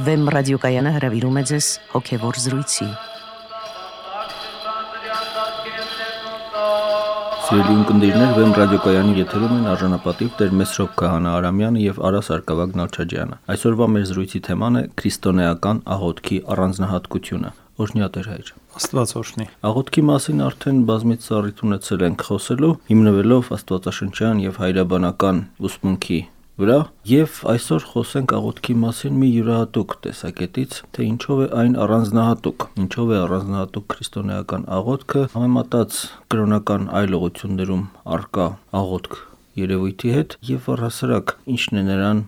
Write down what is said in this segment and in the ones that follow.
Վեմ ռադիոկայանը հրավիրում է ձեզ հոգևոր զրույցի։ Սիրելի ունկնդիրներ, Վեմ ռադիոկայանի եթերում են արժանապատիվ Տեր Մեսրոպ Քահանա Արամյանը եւ Արա Սարգսակ Նալչաջյանը։ Այսօրվա մեր զրույցի թեման է քրիստոնեական աղոթքի առանձնահատկությունը։ Օրհնյա Տեր հայր։ Աստված օրհնի։ Աղոթքի մասին արդեն բազմից առիթ ունեցել ենք խոսելու, հիմնվելով աստվածաշնչյան եւ հայրաբանական ուսմունքի վրա, եւ այսօր խոսենք աղոթքի մասին մի յուրահատուկ տեսակետից, թե ինչով է այն առանձնահատուկ, ինչով է առանձնահատուկ քրիստոնեական աղոթքը համեմատած կրոնական այլ ուղղություններում առկա աղոթք երևույթի հետ եւ առհասարակ ինչն է նրան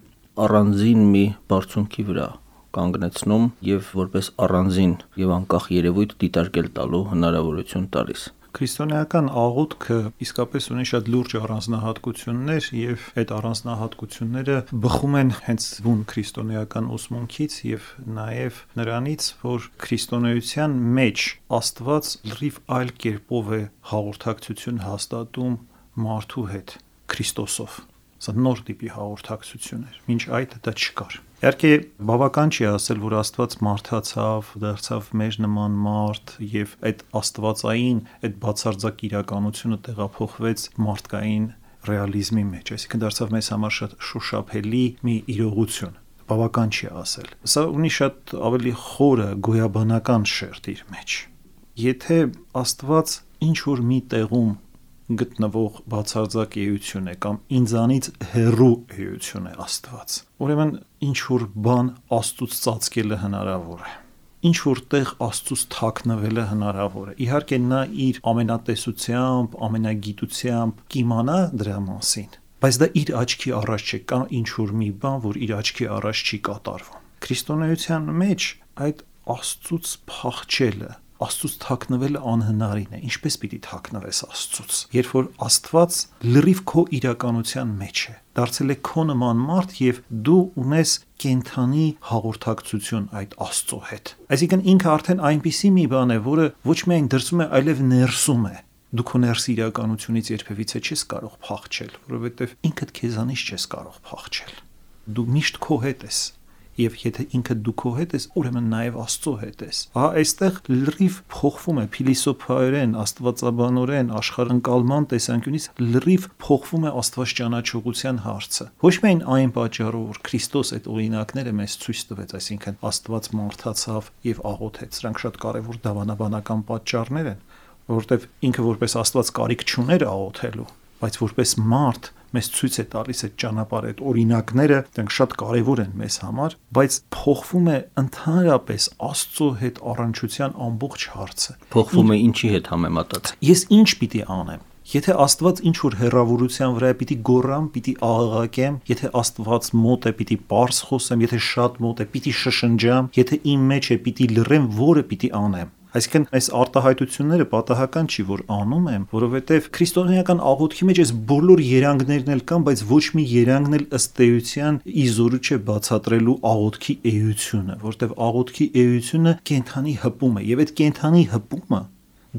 առանձին մի բարձունքի վրա կանգնեցնում եւ որպես առանձին եւ անկախ երևույթ դիտարկել տալու հնարավորություն տալիս։ Քրիստոնեական աղոթքը իսկապես ունի շատ լուրջ առանձնահատկություններ եւ այդ առանձնահատկությունները բխում են հենց բուն քրիստոնեական ուսմունքից եւ նաեւ նրանից, որ քրիստոնեության մեջ Աստված լրիվ այլ կերպով է հաղորդակցություն հաստատում մարդու հետ Քրիստոսով։ Սա նոր տիպի հաղորդակցություն էր, մինչ այդ դա չկար։ Իհարկե բավական չի ասել, որ Աստված մարդացավ, դարձավ մեր նման մարդ եւ այդ աստվածային, այդ բացարձակ իրականությունը տեղափոխվեց մարդկային ռեալիզմի մեջ, այսինքն դարձավ մեզ համար շատ շոշափելի մի իրողություն։ Բավական չի ասել։ Սա ունի շատ ավելի խորը գոյաբանական շերտ իր մեջ։ Եթե Աստված ինչ որ մի տեղում գտնվող բացարձակ էություն է կամ ինձանից հեռու էություն է Աստված, ուրեմն ինչ որ բան Աստծուց ծածկելը հնարավոր է, ինչ որ տեղ Աստծուց թաքնվելը հնարավոր է։ Իհարկե նա իր ամենատեսությամբ, ամենագիտությամբ կիմանա դրա մասին, բայց դա իր աչքի առաջ չէ, կա ինչ որ մի բան, որ իր աչքի առաջ չի կատարվում։ Քրիստոնեության մեջ այդ Աստծուց փախչելը, Աստծուց թաքնվելը անհնարին է։ Ինչպես պիտի թաքնվես Աստծուց, երբ որ Աստված լրիվ քո իրականության մեջ է, դարձել է քո նման մարդ եւ դու ունես կենթանի հաղորդակցություն այդ Աստծո հետ։ Այսինքն ինքը արդեն այնպիսի մի բան է, որը ոչ միայն դրսում է, այլև ներսում է։ Դու քո ներս իրականությունից երբևիցե չես կարող փախչել, որովհետեւ ինքդ քեզանից չես կարող փախչել։ Դու միշտ քո հետ ես։ Եվ եթե ինքը դու քո հետ ես, ուրեմն նաև Աստծո հետ ես։ Ահա այստեղ լրիվ փոխվում է փիլիսոփայորեն, աստվածաբանորեն, աշխարհընկալման տեսանկյունից լրիվ փոխվում է Աստված ճանաչողության հարցը։ Ոչ միայն այն պատճառով, որ Քրիստոս այդ օրինակները մեզ ցույց տվեց, այսինքն Աստված մարդացավ եւ աղոթեց, սրանք շատ կարեւոր դավանաբանական պատճառներ են, որովհետեւ ինքը որպես Աստված կարիք չուներ աղոթելու, բայց որպես մարդ մեզ ցույց է տալիս այդ ճանապարհը, այդ օրինակները, դրանք շատ կարևոր են մեզ համար, բայց փոխվում է ընդհանրապես Աստծո հետ առնչության ամբողջ հարցը։ Փոխվում է ինչի հետ համեմատած։ Ես ինչ պիտի անեմ։ Եթե Աստված ինչ որ հերավորության վրա է, պիտի գոռամ, պիտի աղաղակեմ, եթե Աստված մոտ է, պիտի պարզ խոսեմ, եթե շատ մոտ է, պիտի շշնջամ, եթե իմ մեջ է, պիտի լռեմ, որը պիտի անեմ։ Այսինքն այս արտահայտությունները պատահական չի, որ անում եմ, որովհետև քրիստոնեական աղոթքի մեջ այս բոլոր երանգներն էլ կան, բայց ոչ մի երանգն էլ ըստ էության իզորու չէ բացատրելու աղոթքի էությունը, որովհետև աղոթքի էությունը կենթանի հպում է, եւ այդ կենթանի հպումը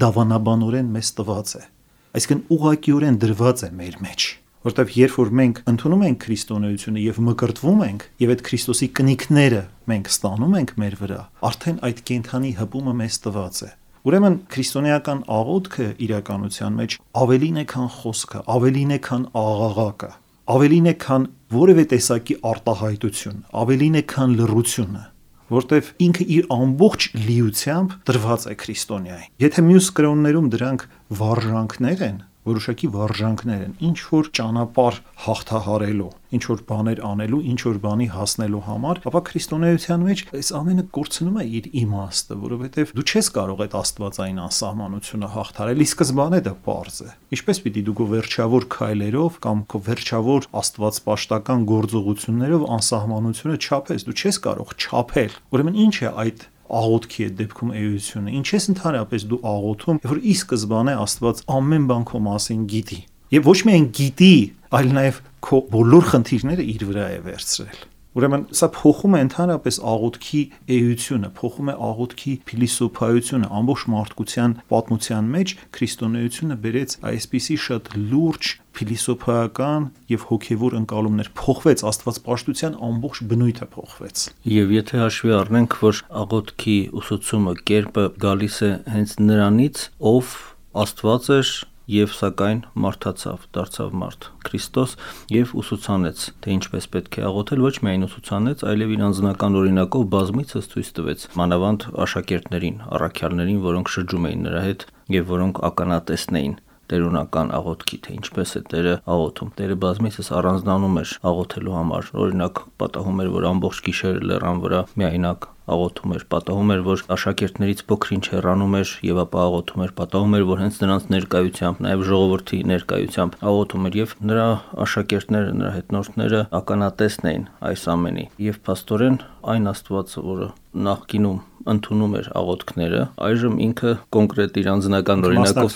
դավանաբանորեն մեզ տված է։ Այսինքն ուղղակիորեն դրված է մեր մեջ։ Որտեւ երբ որ մենք ընդունում ենք քրիստոնեությունը եւ մկրտվում ենք եւ այդ Քրիստոսի կնիքները մենք ստանում ենք մեր վրա, արդեն այդ կենթանի հպումը մեզ տված է։ Ուրեմն քրիստոնեական աղոթքը իրականության մեջ ավելին է քան խոսքը, ավելին է քան աղաղակը, ավելին է քան որևէ տեսակի արտահայտություն, ավելին է քան լռությունը, որտեվ ինքը իր ամբողջ լիությամբ դրված է քրիստոնեային։ Եթե մյուս կրոններում դրանք վարժանքներ են, որոշակի վարժանքներ են, ինչ որ ճանապարհ հաղթահարելու, ինչ որ բաներ անելու, ինչ որ բանի հասնելու համար, ապա քրիստոնեության մեջ այս ամենը կորցնում է իր իմաստը, որովհետև դու չես կարող այդ աստվածային անսահմանությունը հաղթահարել, ի սկզբանե դա պարզ է։ Ինչպես պիտի դու քո վերջավոր քայլերով կամ քո վերջավոր աստվածպաշտական գործողություններով անսահմանությունը չափես, դու չես կարող չափել։ Ուրեմն ինչ է այդ աղոթքի է դեպքում էությունը, ինչ ես ընդհանրապես դու աղոթում, որ ի սկզբանե Աստված ամեն բան քո մասին գիտի։ Եվ ոչ միայն գիտի, այլ նաև քո բոլոր խնդիրները իր վրա է վերցրել։ Ուրեմն սա փոխում է ընդհանրապես աղոթքի էությունը, փոխում է աղոթքի փիլիսոփայությունը, ամբողջ մարդկության պատմության մեջ քրիստոնեությունը բերեց այսպիսի շատ լուրջ փիլիսոփայական եւ հոգեվոր ընկալումներ, փոխվեց աստվածպաշտության ամբողջ բնույթը փոխվեց։ Եվ եթե հաշվի առնենք, որ աղոթքի ուսուցումը կերպը գալիս է հենց նրանից, ով Աստված էր եւ սակայն մարդացավ, դարձավ մարդ, Քրիստոս, եւ ուսուցանեց, թե ինչպես պետք է աղոթել, ոչ միայն ուսուցանեց, այլև իր անձնական օրինակով բազմիցս ցույց տվեց, մանավանդ աշակերտներին, առաքյալներին, որոնք շրջում էին նրա հետ եւ որոնք ականատեսն էին տերունական աղոթքի, թե ինչպես է Տերը աղոթում։ Տերը բազմիցս առանձնանում էր աղոթելու համար, օրինակ պատահում էր, որ ամբողջ գիշերը լեռան վրա միայնակ աղոթում էր, պատահում էր, որ աշակերտներից փոքր-ինչ հեռանում էր եւ ապա աղոթում էր, պատահում էր, որ հենց նրանց ներկայությամբ, նաեւ ժողովրդի ներկայությամբ աղոթում էր եւ նրա աշակերտները, նրա հետնորդները ականատեսն էին այս ամենի։ Եվ փաստորեն այն Աստվածը, որը նախկինում ընդունում էր աղոթքները, այժմ ինքը կոնկրետ իր անձնական օրինակով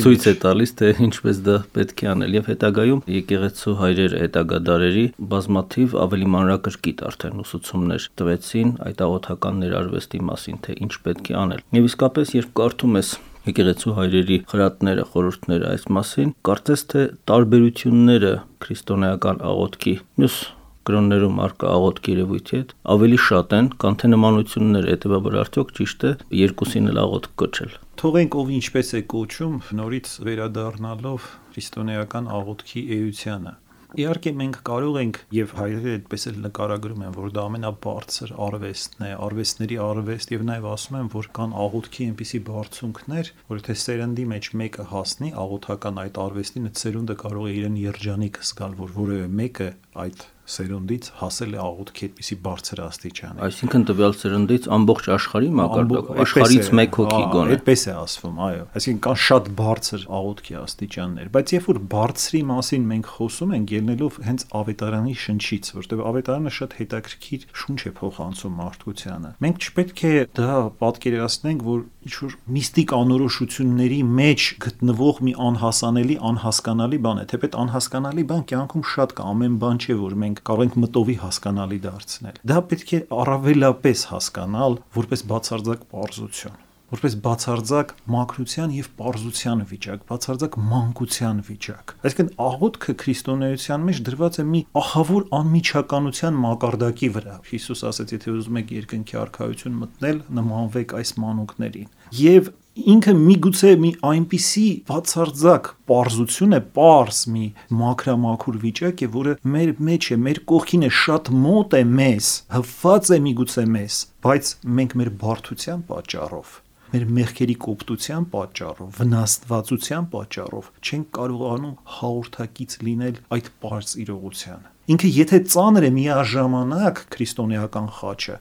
ցույց է տալիս, թե ինչպես դա պետք է անել։ Եվ հետագայում եկեղեցու հայրերը հետագա դարերի բազմաթիվ ավելի մանրակրկիտ արդեն ուսուցումներ տվեցին այդ աղոթական ներարվեստի մասին, թե ինչ պետք է անել։ Եվ իսկապես, երբ կարդում ես եկեղեցու հայրերի խրատները, խորհուրդները այս մասին, կարծես թե տարբերությունները քրիստոնեական աղոթքի մյուս կրոններում առկա աղոթքի երևույթի հետ ավելի շատ են, քան թե նմանությունները, հետեւաբար արդյոք ճիշտ է երկուսին էլ աղոթք կոչել։ Թողենք ով ինչպես է կոչում, նորից վերադառնալով քրիստոնեական աղոթքի էությանը։ Իհարկե մենք կարող ենք եւ հայրերը այդպես էլ նկարագրում են, որ դա ամենաբարձր արվեստն է, արվեստների արվեստ եւ նաեւ ասում են, որ կան աղոթքի այնպիսի բարձունքներ, որ եթե սերնդի մեջ մեկը հասնի աղոթական այդ արվեստին, այդ սերունդը կարող է իրեն երջանիկ զգալ, որ որևէ մեկը այդ սերունդից հասել է աղոթքի այդպիսի բարձր աստիճանի։ Այսինքն տվյալ սերնդից ամբողջ աշխարհի մակարդակով, աշխարհից մեկ հոգի գոնե։ Այդպես է ասվում, այո։ Այսինքն կան շատ բարձր աղոթքի աստիճաններ, բայց երբ որ բարձրի մասին մենք խոսում ենք, ելնելով հենց Ավետարանի շնչից, որտեղ Ավետարանը շատ հետաքրքիր շունչ է փոխանցում մարդկությանը, մենք չպետք է դա պատկերացնենք, որ ինչ-որ միստիկ անորոշությունների մեջ գտնվող մի անհասանելի, անհասկանալի բան է, թեպետ անհասկանալի բան կյանքում շատ կա, ամեն բան չէ, որ մենք կարող ենք մտովի հասկանալի դարձնել։ Դա պետք է առավելապես հասկանալ որպես բացարձակ պարզություն, որպես բացարձակ մաքրության եւ պարզության վիճակ, բացարձակ մանկության վիճակ։ Այսինքն աղոթքը քրիստոնեության մեջ դրված է մի ահավոր անմիջականության մակարդակի վրա։ Հիսուս ասաց, եթե ուզում եք երկնքի արքայություն մտնել, նմանվեք այս մանուկներին։ Եվ ինքը միգուցե մի այնպիսի բացարձակ պարզություն է, պարզ մի մաքրամաքուր վիճակ է, որը մեր մեջ է, մեր կողքին է, շատ մոտ է մեզ, հպված է միգուցե մեզ, բայց մենք մեր բարդության պատճառով, մեր մեղքերի կոպտության պատճառով, վնասվածության պատճառով չենք կարողանում հաղորդակից լինել այդ պարզ իրողությանը։ Ինքը եթե ծանր է, միաժամանակ քրիստոնեական խաչը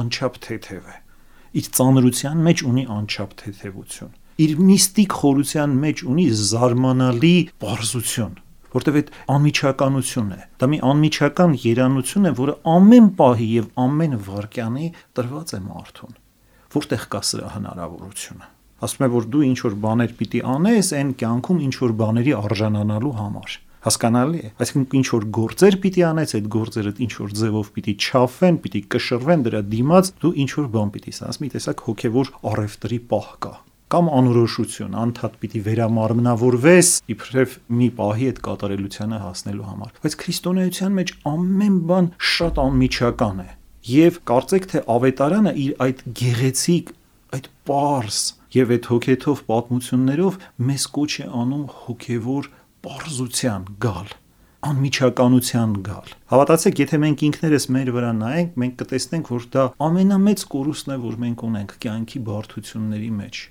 անչափ թեթև է։ Իր ծանրության մեջ ունի անչափ թեթևություն, իր միստիկ խորության մեջ ունի զարմանալի պարզություն, որտեղ այդ անմիջականություն է, դա մի անմիջական երանություն է, որը ամեն պահի եւ ամեն վայրկյանի տրված է մարդուն, որտեղ կա սրա հնարավորությունը։ Ասում է, որ դու ինչ որ բաներ պիտի անես այն կյանքում ինչ որ բաների արժանանալու համար։ Հասկանալի է, այսինքն ինչ որ գործեր պիտի անես, այդ գործերը ինչ որ ձևով պիտի չափվեն, պիտի կշռվեն դրա դիմաց, դու ինչ որ բան պիտի ասես, մի տեսակ հոգևոր առևտրի պահ կա, կամ անորոշություն, անդադ պիտի վերամարմնավորվես, իբրև մի պահի այդ կատարելությանը հասնելու համար։ Բայց քրիստոնեության մեջ ամեն բան շատ անմիջական է, եւ կարծեք թե Ավետարանը իր այդ գեղեցիկ, այդ պարզ եւ այդ հոգեթով պատմություններով մեզ կոչ է անում հոգևոր պարզության գալ, անմիջականության գալ։ Հավատացեք, եթե մենք ինքներս մեր վրա նայենք, մենք կտեսնենք, որ դա ամենամեծ կորուստն է, որ մենք ունենք կյանքի բարդությունների մեջ,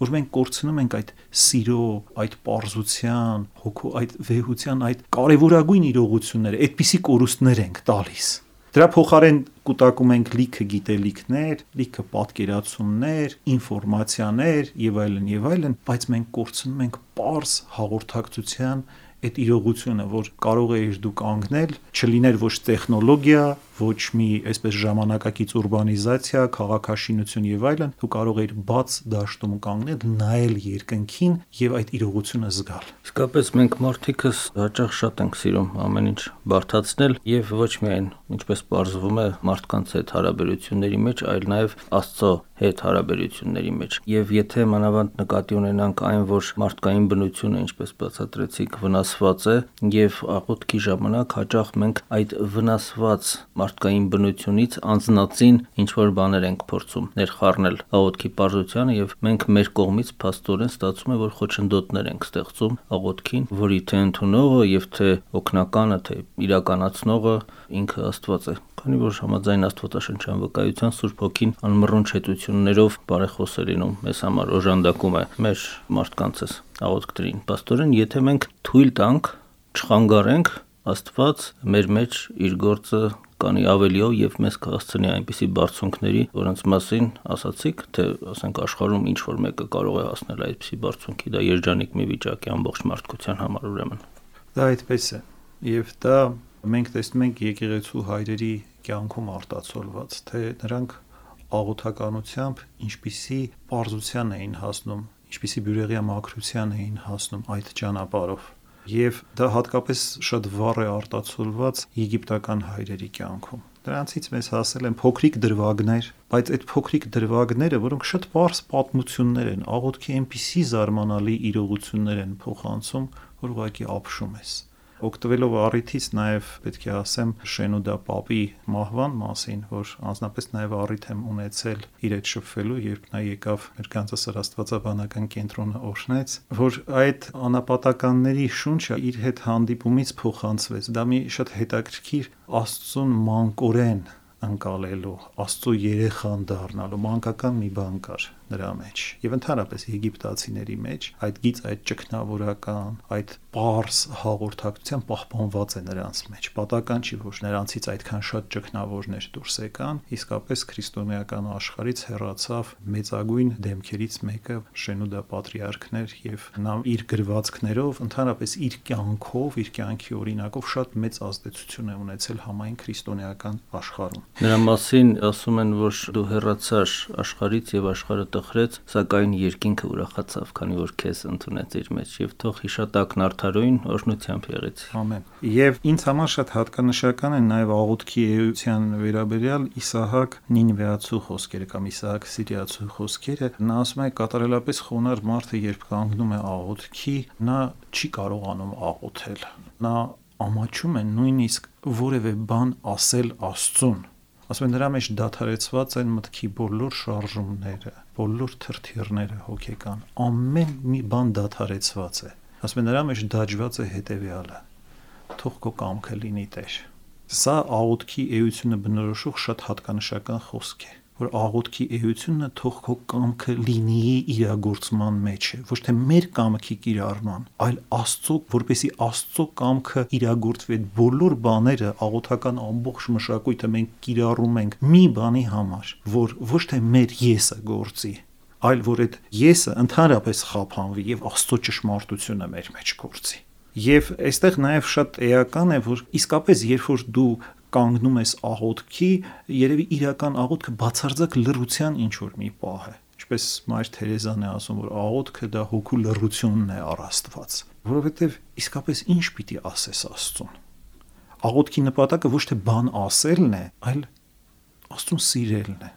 որ մենք կորցնում ենք այդ սիրո, այդ պարզության, հոգու, այդ վեհության, այդ կարևորագույն իրողությունները, այդպիսի կորուստներ ենք տալիս։ Դրա փոխարեն կուտակում ենք լիքը գիտելիքներ, լիքը պատկերացումներ, ինֆորմացիաներ եւ այլն, բայց մենք կորցնում ենք պարզ հաղորդակցության այդ իրողությունը, որ կարող էիր դու կանգնել, չլիներ ոչ տեխնոլոգիա, ոչ մի այսպես ժամանակակից ուրբանիզացիա, քաղաքաշինություն եւ այլն, դու կարող էիր բաց դաշտում կանգնել, նայել երկնքին եւ այդ իրողությունը զգալ։ Իսկապես մենք մարդիկս հաճախ շատ ենք սիրում ամեն ինչ բարդացնել եւ ոչ միայն, ինչպես պարզվում է, մարդկանց հետ հարաբերությունների մեջ, այլ նաեւ Աստծո հետ հարաբերությունների մեջ։ Եվ եթե մանավանդ նկատի ունենանք այն, որ մարդկային բնությունը, ինչպես բացատրեցիք, վնասված է եւ աղոթքի ժամանակ հաճախ մենք այդ վնասված մարդկային բնությունից անձնածին ինչ որ բաներ ենք փորձում ներխառնել աղոթքի պարզությանը եւ մենք մեր կողմից փաստորեն ստացվում է, որ խոչընդոտներ ենք ստեղծում աղոթքին, որի թե ընդունողը եւ թե օգնականը, թե իրականացնողը ինքը Աստված է։ Քանի որ համաձայն Աստվածաշնչյան վկայության Սուրբ Հոգին անմռունչ հետություններով բարեխոս է լինում, մեզ համար օժանդակում է մեր մարդկանցս աղոթքներին։ Պաստորեն, եթե մենք թույլ տանք, չխանգարենք, Աստված մեր մեջ իր գործը կանի ավելիով եւ մեզ կհասցնի այնպիսի բարձունքների, որոնց մասին ասացիք, թե ասենք աշխարհում ինչ որ մեկը կարող է հասնել այդպիսի բարձունքի, դա երջանիկ մի վիճակ է ամբողջ մարդկության համար ուրեմն։ Դա այդպես է։ Եվ դա մենք տեսնում ենք եկեղեցու հայրերի կյանքում արտացոլված, թե նրանք աղոթականությամբ ինչպիսի պարզության էին հասնում, ինչպիսի բյուրեղյա մաքրության էին հասնում այդ ճանապարհով։ Եվ դա հատկապես շատ վառ է արտացոլված եգիպտական հայրերի կյանքում։ Դրանցից մեզ հասել են փոքրիկ դրվագներ, բայց այդ փոքրիկ դրվագները, որոնք շատ պարզ պատմություններ են, աղոթքի այնպիսի զարմանալի իրողություններ են փոխանցում, որ ուղղակի ապշում ես։ Օգտվելով առիթից նաև պետք է ասեմ Շենուդա Պապի մահվան մասին, որ անձնապես նաև առիթ եմ ունեցել իր հետ շփվելու, երբ նա եկավ մեր Կանզասար աստվածաբանական կենտրոնը օրհնեց, որ այդ անապատականների շունչը իր հետ հանդիպումից փոխանցվեց։ Դա մի շատ հետաքրքիր Աստծուն մանկորեն ընկալելու, Աստծո երեխան դառնալու մանկական մի բան կար նրա մեջ եւ ընդհանրապես եգիպտացիների մեջ այդ գից, այդ ճգնավորական, այդ պարզ հաղորդակցության պահպանված է նրանց մեջ։ Պատական չի, որ նրանցից այդքան շատ ճգնավորներ դուրս եկան, իսկապես քրիստոնեական աշխարհից հեռացավ մեծագույն դեմքերից մեկը Շենուդա պատրիարքն էր եւ նա իր գրվածքներով, ընդհանրապես իր կյանքով, իր կյանքի օրինակով շատ մեծ ազդեցություն է ունեցել համայն քրիստոնեական աշխարհում։ Նրա մասին ասում են, որ դու հեռացար աշխարհից եւ աշխարհը տխրեց, սակայն երկինքը ուրախացավ, քանի որ քեզ ընդունեց իր մեջ եւ թող հիշատակն արդարոյն օրհնությամբ եղեցի։ Ամեն։ Եվ ինձ համար շատ հատկանշական են նաեւ աղոթքի էության վերաբերյալ Իսահակ Նինվեացու խոսքերը կամ Իսահակ Սիրիացու խոսքերը։ Նա ասում է կատարելապես խոնար մարդը, երբ կանգնում է աղոթքի, նա չի կարողանում աղոթել։ Նա ամաչում է նույնիսկ որևէ բան ասել Աստծուն։ Ասում են նրա մեջ դադարեցված են մտքի բոլոր շարժումները, բոլոր թրթիռները հոգեկան, ամեն մի բան դադարեցված է։ Ասում են նրա մեջ դաջված է հետևյալը. թող քո կամքը լինի Տեր։ Սա աղոթքի էությունը բնորոշող շատ հատկանշական խոսք է, որ աղոթքի էությունը թող քո կամքը լինի իրագործման մեջ է, ոչ թե մեր կամքի կիրառման, այլ Աստծո, որպեսի Աստծո կամքը իրագործվի։ Բոլոր բաները, աղոթական ամբողջ մշակույթը մենք կիրառում ենք մի բանի համար, որ ոչ թե մեր եսը գործի, այլ որ այդ եսը ընդհանրապես խափանվի եւ Աստծո ճշմարտությունը մեր մեջ գործի։ Եվ այստեղ նաև շատ էական է, որ իսկապես երբ որ դու կանգնում ես աղոթքի, երևի իրական աղոթքը բացարձակ լռության ինչ որ մի պահ է։ Ինչպես Մայր Թերեզան է ասում, որ աղոթքը դա հոգու լռությունն է առ Աստված, որովհետև իսկապես ինչ պիտի ասես Աստծուն։ Աղոթքի նպատակը ոչ թե բան ասելն է, այլ Աստծուն սիրելն է։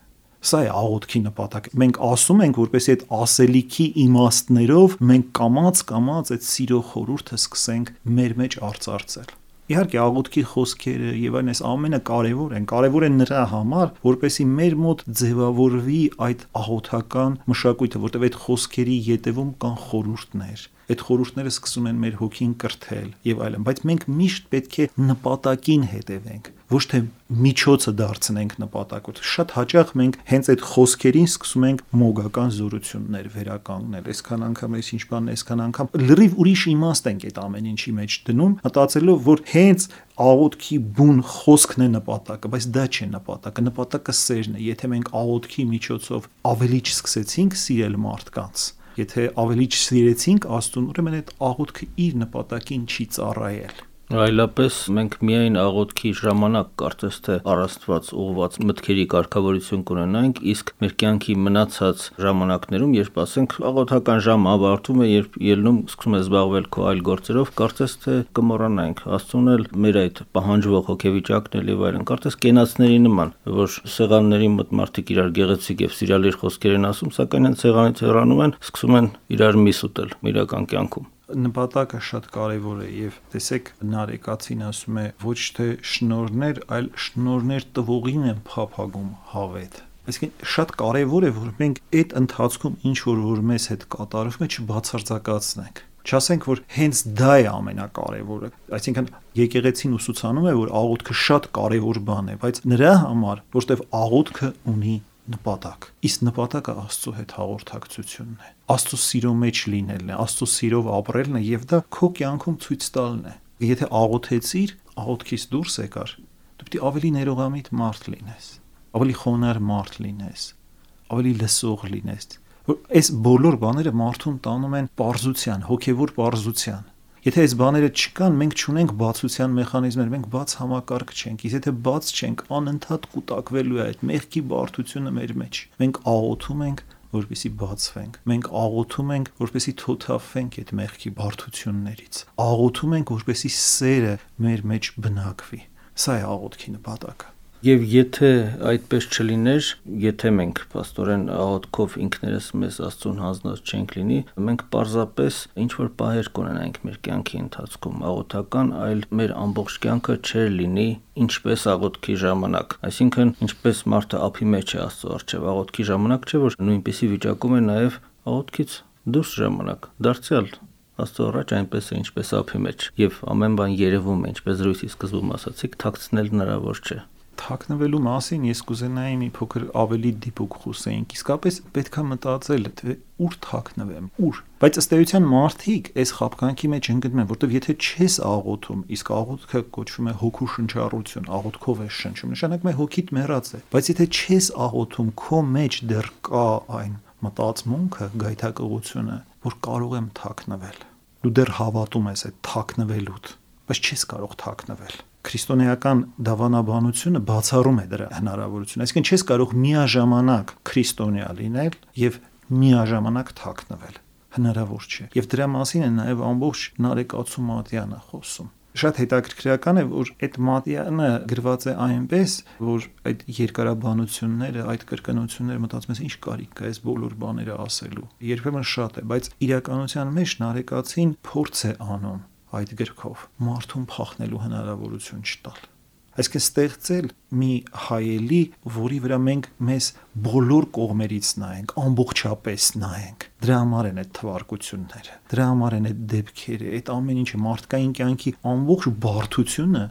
Սա է աղոթքի նպատակը։ Մենք ասում ենք, որպեսզի այդ ասելիքի իմաստներով մենք կամաց այդ սիրո խորհուրդը սկսենք մեր մեջ արծարծել։ Իհարկե աղոթքի խոսքերը եւ այն այս ամենը կարեւոր են նրա համար, որպեսզի մեր մոտ ձևավորվի այդ աղոթական մշակույթը, որտեղ այդ խոսքերի ետևում կան խորհուրդներ։ Այդ խորհուրդները սկսում են մեր հոգին կրթել եւ այլն, բայց մենք միշտ պետք է նպատակին հետևենք, ոչ թե միջոցը դարձնենք նպատակը։ Շատ հաճախ մենք հենց այդ խոսքերին սկսում ենք մոգական զորություններ վերականգնել։ Այսքան անգամ ինչ բան, այսքան անգամ լրիվ ուրիշ իմաստ ենք այդ ամեն ինչի մեջ դնում, մտածելով, որ հենց աղոթքի բուն խոսքն է նպատակը, բայց դա չէ նպատակը։ Նպատակը սերն է։ Եթե մենք աղոթքի միջոցով ավելի չսկսեցինք սիրել մարդկանց, Եթե ավելի չսիրեցինք Աստծուն, ուրեմն այդ աղոթքը իր նպատակին չի ծառայել։ Այլապես մենք միայն աղոթքի ժամանակ կարծես թե առաստված ուղված մտքերի կարգավորություն կունենանք, իսկ մեր կյանքի մնացած ժամանակներում, երբ ասենք աղոթական ժամը ավարտվում է, երբ ելնում սկսում է զբաղվել քո այլ գործերով, կարծես թե կմոռանանք Աստծուն էլ մեր այդ պահանջվող հոգեվիճակն էլ եւ այլն, կարծես կենացների նման, որ սեղանների մոտ մարդիկ իրար գեղեցիկ եւ սիրալիր խոսքեր են ասում, սակայն այն սեղանից հեռանում են, սկսում են իրար միս ուտել իրական կյանքում։ Նպատակը շատ կարևոր է եւ տեսեք Նարեկացին ասում է ոչ թե շնորհներ, այլ շնորհներ տվողին են փափագում հավետ։ Այսինքն շատ կարևոր է որ մենք այդ ընթացքում ինչ որ մեզ հետ կատարվում է չբացարձակացնենք։ Չասենք որ հենց դա է ամենակարևորը։ Այսինքն եկեղեցին ուսուցանում է որ աղոթքը շատ կարևոր բան է, բայց նրա համար որտեվ աղոթքը ունի նպատակ։ Իսկ նպատակը Աստծո հետ հաղորդակցությունն է։ Աստծո սիրո մեջ լինելն է, Աստծո սիրով ապրելն է եւ դա քո կյանքում ցույց տալն է։ Եթե աղոթեցիր, աղոթքից դուրս եկար, դու պետք է ավելի ներողամիտ մարդ լինես, ավելի խոնարհ մարդ լինես, ավելի լսող լինես։ Որ այս բոլոր բաները մարդուն տանում են պարզության, հոգեվոր պարզության։ Եթե այս բաները չկան, մենք չունենք բացության մեխանիզմներ, մենք բաց համակարգ չենք։ Իսկ եթե բաց չենք, անընդհատ կուտակվելու է այդ մեղքի բարդությունը մեր մեջ։ Մենք աղոթում ենք, որպեսզի բացվենք։ Մենք աղոթում ենք, որպեսզի թոթափվենք այդ մեղքի բարդություններից։ Աղոթում ենք, որպեսզի սերը մեր մեջ բնակվի։ Սա է աղոթքի նպատակը։ Եվ եթե այդպես չլիներ, եթե մենք աստորեն աղոթքով ինքներս մեզ Աստծուն հանձնած չենք լինի, մենք պարզապես ինչ որ պահեր կունենանք մեր կյանքի ընթացքում աղոթական, այլ մեր ամբողջ կյանքը չէր լինի ինչպես աղոթքի ժամանակ։ Այսինքն, ինչպես մարդը ափի մեջ է Աստծո առջև աղոթքի ժամանակ չէ, որ նույնպիսի վիճակում է նաև աղոթքից դուրս ժամանակ։ Դարձյալ Աստծո առաջ այնպես է, ինչպես ափի մեջ, եւ ամեն բան երևում է, ինչպես զրույցի սկզբում ասացիք, թաքցնել հնարավոր չէ։ Թաքնվելու մասին ես կուզենայի մի փոքր ավելի դիպուկ խոսեինք։ Իսկապես պետքա մտածել, թե ուր թաքնվեմ, ուր։ Բայց ըստ էության մարդիկ այս խաբկանքի մեջ ընկնում են, որտեղ եթե չես աղոթում, իսկ աղոթքը կոչվում է հոգու շնչառություն, աղոթքով է շնչում, նշանակում է հոգիդ մեռած է։ Բայց եթե չես աղոթում, քո մեջ դեռ կա այն մտածմունքը, գայթակղությունը, որ կարող եմ թաքնվել։ Դու դեռ հավատում ես այդ թաքնվելուդ, բայց չես կարող թաքնվել։ Քրիստոնեական դավանաբանությունը բացառում է դրա հնարավորությունը։ Այսինքն չես կարող միաժամանակ քրիստոնյա լինել եւ միաժամանակ թաքնվել։ Հնարավոր չէ։ Եվ դրա մասին է նաեւ ամբողջ Նարեկացու Մատյանը խոսում։ Շատ հետաքրքրական է, որ այդ Մատյանը գրված է այնպես, որ այդ երկարաբանությունները, այդ կրկնությունները մտածում ես ինչ կարիք կա այս բոլոր բաները ասելու։ Երբեմն շատ է, բայց իրականության մեջ Նարեկացին փորձ է անում այդ գրքով մարդուն փախնելու հնարավորություն չտալ։ Այսինքն ստեղծել մի հայելի, որի վրա մենք մեզ բոլոր կողմերից նայենք, ամբողջապես նայենք։ Դրա համար են այդ թվարկությունները, դրա համար են այդ դեպքերը, այդ ամեն ինչը մարդկային կյանքի ամբողջ բարդությունը,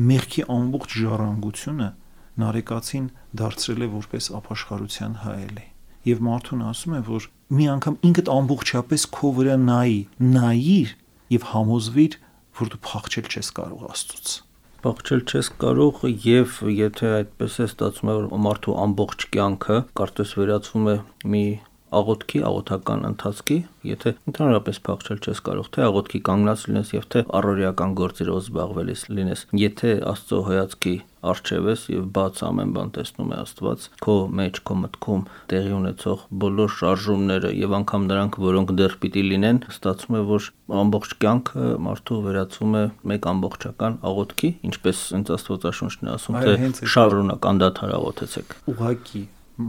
մեղքի ամբողջ ժառանգությունը Նարեկացին դարձրել է որպես ապաշխարության հայելի։ Եվ մարդուն ասում է, որ մի անգամ ինքդ ամբողջապես քո վրա նայիր եւ համոզվիր, որ դու փախչել չես կարող Աստծուց։ Փախչել չես կարող եւ եթե այդպես է ստացվում է, որ մարդու ամբողջ կյանքը կարծես վերածվում է մի աղոթքի, աղոթական ընթացքի, եթե ընդհանրապես փախչել չես կարող, թե աղոթքի կանգնած լինես եւ թե առօրեական գործերով զբաղվելիս լինես, եթե Աստծո հայացքի առջև ես եւ բաց ամեն բան տեսնում է Աստված, քո մեջ, քո մտքում տեղի ունեցող բոլոր շարժումները եւ անգամ նրանք, որոնք դեռ պիտի լինեն, ստացվում է, որ ամբողջ կյանքը մարդու վերածվում է մեկ ամբողջական աղոթքի, ինչպես հենց Աստվածաշունչն է ասում, թե շարունակ անդադար աղոթեցեք։ Ուղղակի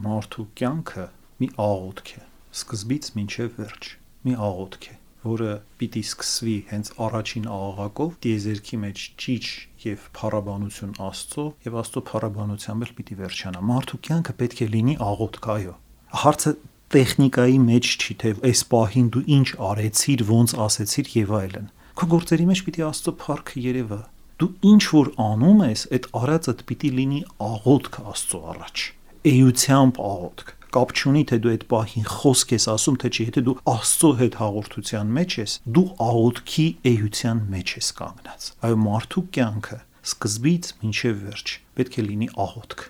մարդու կյանքը մի աղոթք է, սկզբից մինչև վերջ, մի աղոթք է, որը պիտի սկսվի հենց առաջին աղաղակով, տիեզերքի մեջ ճիչ եւ փառաբանություն Աստծո եւ Աստծո փառաբանությամբ էլ պիտի վերջանա։ Մարդու կյանքը պետք է լինի աղոթք, այո։ Հարցը տեխնիկայի մեջ չի, թե այս պահին դու ինչ արեցիր, ոնց ասեցիր եւ այլն։ Քո գործերի մեջ պիտի Աստծո փառքը երևա։ Դու ինչ որ անում ես, այդ արածդ պիտի լինի աղոթք Աստծո առաջ։ Էությամբ աղոթք։ Կապ չունի, թե դու այդ պահին խոսք ես ասում, թե չի, եթե դու Աստծո հետ հաղորդության մեջ ես, դու աղոթքի էության մեջ ես կանգնած։ Այո, մարդու կյանքը սկզբից մինչև վերջ պետք է լինի աղոթք։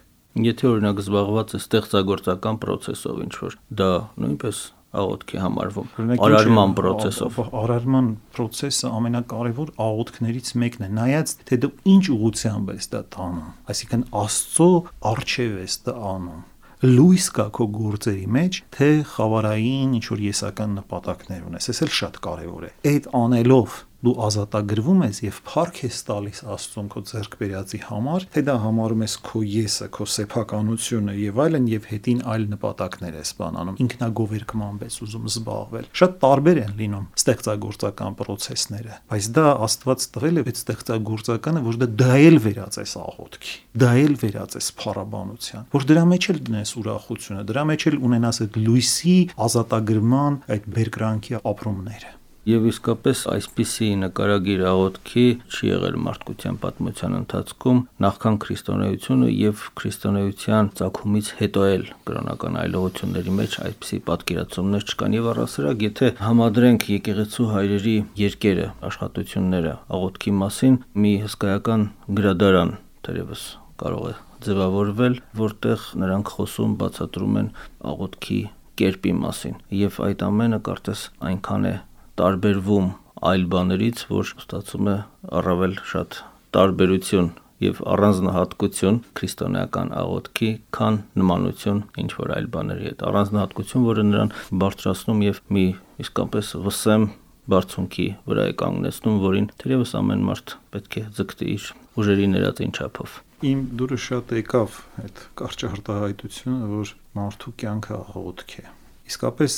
Եթե օրինակ զբաղված է ստեղծագործական process-ով ինչ որ, դա նույնպես աղոթքի համարվում արարման process-ով։ Արարման process-ը ամենակարևոր աղոթքներից մեկն է, նայած թե դու ինչ ուղղությամբ ես դա տանում, այսինքն Աստծո առջև ես դա անում, լույս կա քո գործերի մեջ, թե խավարային ինչ-որ եսական նպատակներ ունես, այս էլ շատ կարևոր է։ Այդ անելով դու ազատագրվում ես եւ փառք ես տալիս Աստծուն քո ձեռք բերածի համար, թե դա համարում ես քո եսը, քո սեփականությունը եւ այլն, եւ հետին այլ նպատակներ ես բանանում, ինքնագովերքմամբ ես ուզում զբաղվել։ Շատ տարբեր են լինում ստեղծագործական process-ները, բայց դա Աստված տվել է այդ ստեղծագործականը, որ դա էլ վերածես աղոթքի, դա էլ վերածես փառաբանության, որ դրա մեջ էլ դնես ուրախությունը, դրա մեջ էլ ունենաս այդ լույսի ազատագրման այդ բերկրանքի ապրումները։ Եվ իսկապես այսպիսի նկարագիր աղոթքի չի եղել մարդկության պատմության ընթացքում նախքան քրիստոնեությունը եւ քրիստոնեության ծագումից հետո էլ կրոնական այլողությունների մեջ այսպիսի պատկերացումներ չկան եւ առասարակ եթե համադրենք եկեղեցու հայրերի երկերը աշխատությունները աղոթքի մասին մի հսկայական գրադարան թերևս կարող է ձևավորվել, որտեղ նրանք խոսում բացատրում են աղոթքի կերպի մասին եւ այդ ամենը կարծես այնքան է տարբերվում այլ բաներից, որ ստացվում է առավել շատ տարբերություն եւ առանձնահատկություն քրիստոնեական աղոթքի, քան նմանություն ինչ որ այլ բաների հետ։ Առանձնահատկություն, որը նրան բարձրացնում եւ մի իսկապես վսեմ բարձունքի վրա է կանգնեցնում, որին թերևս ամեն մարդ պետք է ձգտի իր ուժերի ներածին չափով։ Իմ դուրս շատ եկավ այդ կարճ արտահայտությունը, որ մարդու կյանքը աղոթք է։ Իսկապես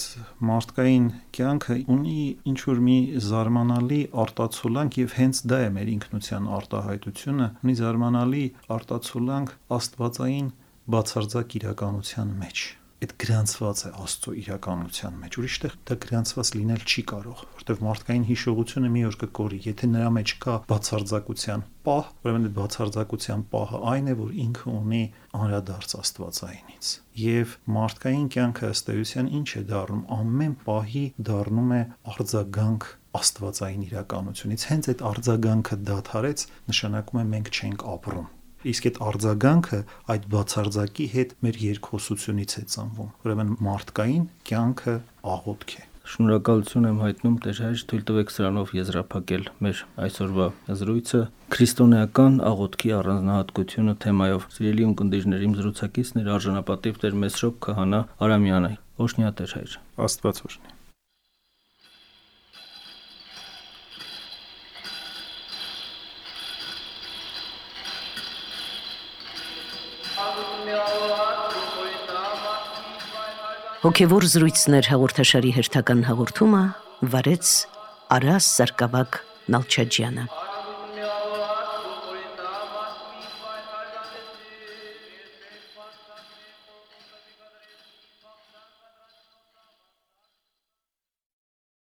մարդկային կյանքը ունի ինչ-որ մի զարմանալի արտացոլանք եւ հենց դա է մեր ինքնության արտահայտությունը, ունի զարմանալի արտացոլանք աստվածային բացարձակ իրականության մեջ։ Այդ գրանցված է Աստծո իրականության մեջ, ուրիշտեղ դա գրանցված լինել չի կարող, որտեղ մարդկային հիշողությունը մի օր կկորի, եթե նրա մեջ կա բացարձակության պահ, ուրեմն այդ բացարձակության պահը այն է, որ ինքը ունի անդրադարձ աստվածայինից։ Եվ մարդկային կյանքը ըստ էության ինչ է դառնում, ամեն պահի դառնում է արձագանք աստվածային իրականությունից։ Հենց այդ արձագանքը դադարեց, նշանակում է մենք չենք ապրում։ Իսկ այդ արձագանքը այդ բացարձակի հետ մեր երկխոսությունից է ծնվում։ Ուրեմն մարդկային կյանքը աղոթք է։ Շնորհակալություն եմ հայտնում Տեր հայր, թույլ տվեք սրանով եզրափակել մեր այսօրվա զրույցը քրիստոնեական աղոթքի առանձնահատկությունը թեմայով։ Սիրելի ունկնդիրներ, իմ զրուցակիցներ արժանապատիվ Տեր Մեսրոպ Քահանա Արամյանը։ Օրհնյա Տեր հայր։ Աստված օրհնի։ Հոգևոր զրույցներ հաղորդաշարի հերթական հաղորդումը վարեց Արաս Սարգսակ Նալչաջյանը։